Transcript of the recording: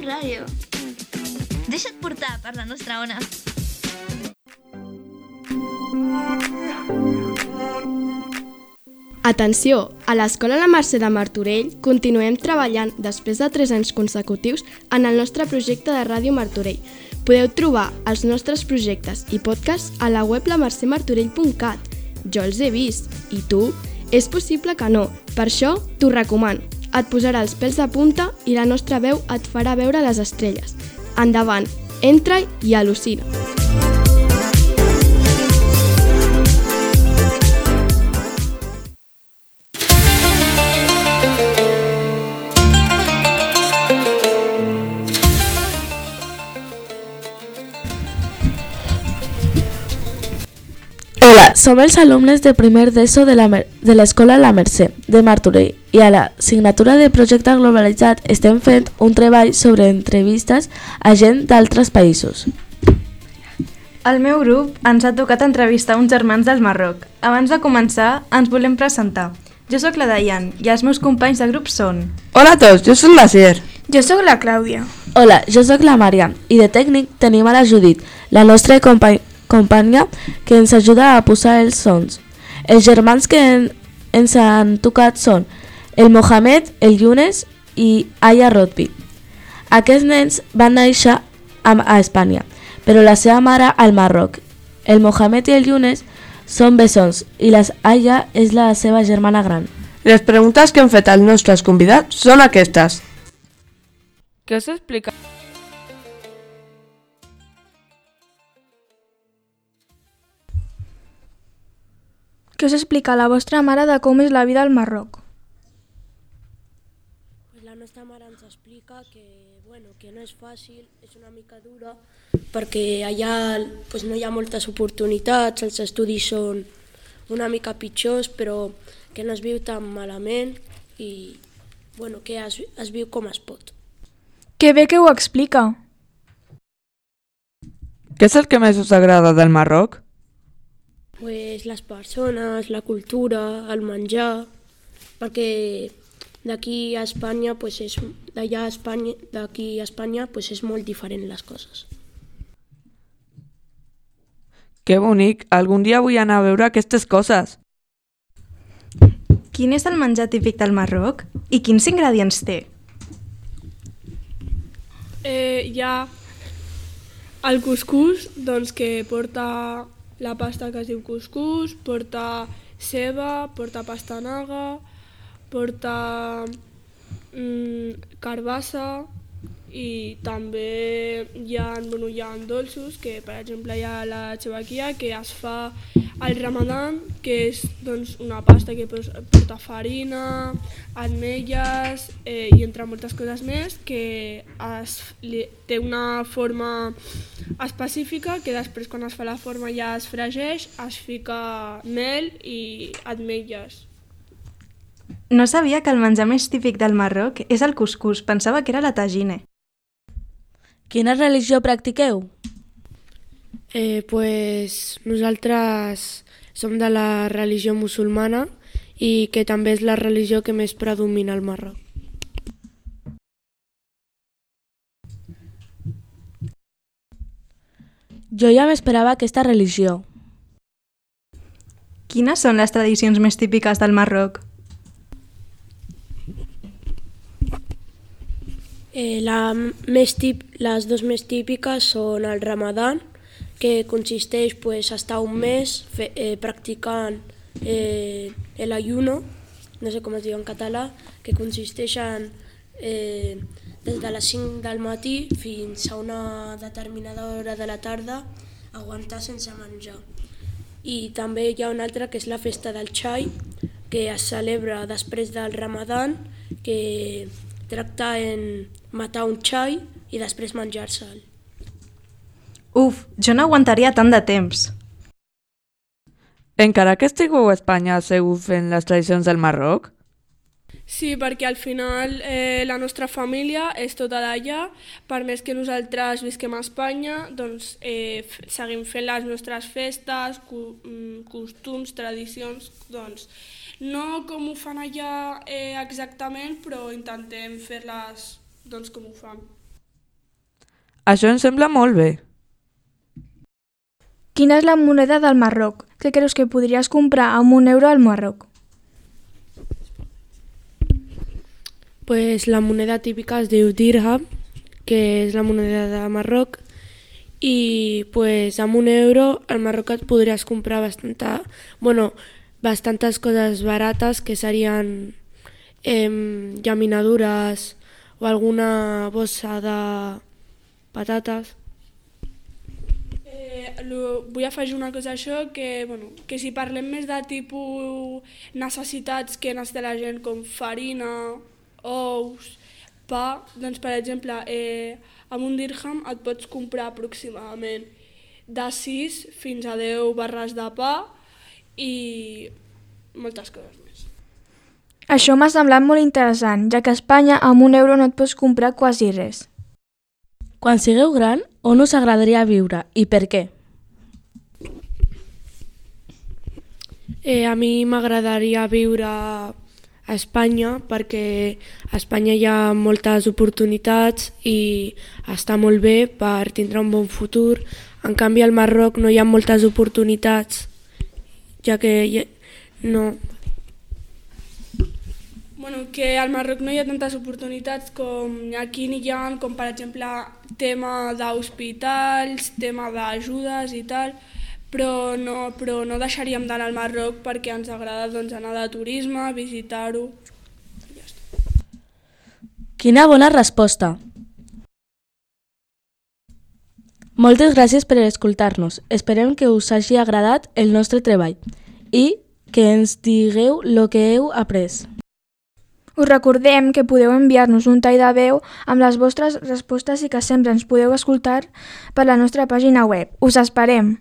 ràdio. Deixa't portar per la nostra ona. Atenció! A l'Escola La Mercè de Martorell continuem treballant després de 3 anys consecutius en el nostre projecte de Ràdio Martorell. Podeu trobar els nostres projectes i podcasts a la web lamercemartorell.cat. Jo els he vist. I tu? És possible que no. Per això t'ho recomano. Et posarà els pèls de punta i la nostra veu et farà veure les estrelles. Endavant, entra-hi i al·lucina. Hola, som els alumnes de primer d'ESO de l'Escola La Mercè de Martorell i a la assignatura de projecte globalitzat estem fent un treball sobre entrevistes a gent d'altres països. Al meu grup ens ha tocat entrevistar uns germans del Marroc. Abans de començar, ens volem presentar. Jo sóc la Dayan i els meus companys de grup són... Hola a tots, jo sóc la Cer. Jo sóc la Clàudia. Hola, jo sóc la Maria i de tècnic tenim a la Judit, la nostra companya que ens ajuda a posar els sons. Els germans que ens han tocat són el Mohamed, el Younes i Aya Rodby. Aquests nens van néixer a Espanya, però la seva mare al Marroc. El Mohamed i el Younes són bessons i la Aya és la seva germana gran. Les preguntes que hem fet als nostres convidats són aquestes. Què us explica? Què us explica la vostra mare de com és la vida al Marroc? La nostra mare ens explica que no és fàcil, és una mica dura, perquè allà no hi ha moltes oportunitats, els estudis són una mica pitjors, però que no es viu tan malament i que es viu com es pot. Que bé que ho explica. Què és el que més us agrada del Marroc? Les persones, la cultura, el menjar, perquè d'aquí a Espanya és molt diferent les coses. Que bonic, algun dia vull anar a veure aquestes coses. Quin és el menjar típic del Marroc i quins ingredients té? Hi ha el cuscús, que porta la pasta que es diu cuscús, porta ceba, porta pastanaga, porta carbassa i també hi ha dolços, que per exemple hi ha la xevaquia que es fa al Ramadan, que és una pasta que porta farina, ametlles i entre moltes coses més, que té una forma específica que després quan es fa la forma ja es fregeix, es fica mel i ametlles. No sabia que el menjar més típic del Marroc és el cuscús, pensava que era la tagine. Quina religió practiqueu? Nosaltres som de la religió musulmana i que també és la religió que més predomina al Marroc. Jo ja m'esperava aquesta religió. Quines són les tradicions més típiques del Marroc? Les dues més típiques són el Ramadan, que consisteix estar un mes practicant l'ayuno, no sé com es diu en català, que consisteix en des de les 5 del matí fins a una determinada hora de la tarda aguantar sense menjar. I també hi ha una altra que és la festa del xai, que es celebra després del Ramadan, que tracta en matar un xai i després menjar-se'l. Uf, jo no aguantaria tant de temps. Encara que estigueu a Espanya, seguiu fent les tradicions del Marroc? Sí, perquè al final la nostra família és tota d'allà, per més que nosaltres visquem a Espanya, seguim fent les nostres festes, costums, tradicions, no com ho fan allà exactament, però intentem fer-les com ho fan. Això em sembla molt bé. Quina és la moneda del Marroc? Què creus que podries comprar amb €1 al Marroc? Pues la moneda típica es diu dirham, que és la moneda de Marroc, i pues amb €1 al Marroc et podries comprar bastantes coses barates, que serien llaminadures o alguna bossa de patates. Vull afegir una cosa a això, que si parlem més de tipus necessitats que necessita la gent, com farina, ous, pa, doncs per exemple, amb un dirham et pots comprar aproximadament de 6 fins a 10 barres de pa i moltes coses més. Això m'ha semblat molt interessant, ja que a Espanya amb €1 no et pots comprar quasi res. Quan sigueu gran, on us agradaria viure i per què? A mi m'agradaria viure a Espanya, perquè a Espanya hi ha moltes oportunitats i està molt bé per tindre un bon futur. En canvi al Marroc no hi ha moltes oportunitats, ja que no... Que al Marroc no hi ha tantes oportunitats com aquí n'hi ha, com per exemple tema d'hospitals, tema d'ajudes i tal, però no deixaríem d'anar al Marroc perquè ens agrada anar de turisme, visitar-ho. Ja està. Quina bona resposta! Moltes gràcies per escoltar-nos. Esperem que us hagi agradat el nostre treball i que ens digueu el que heu après. Us recordem que podeu enviar-nos un tall de veu amb les vostres respostes i que sempre ens podeu escoltar per la nostra pàgina web. Us esperem!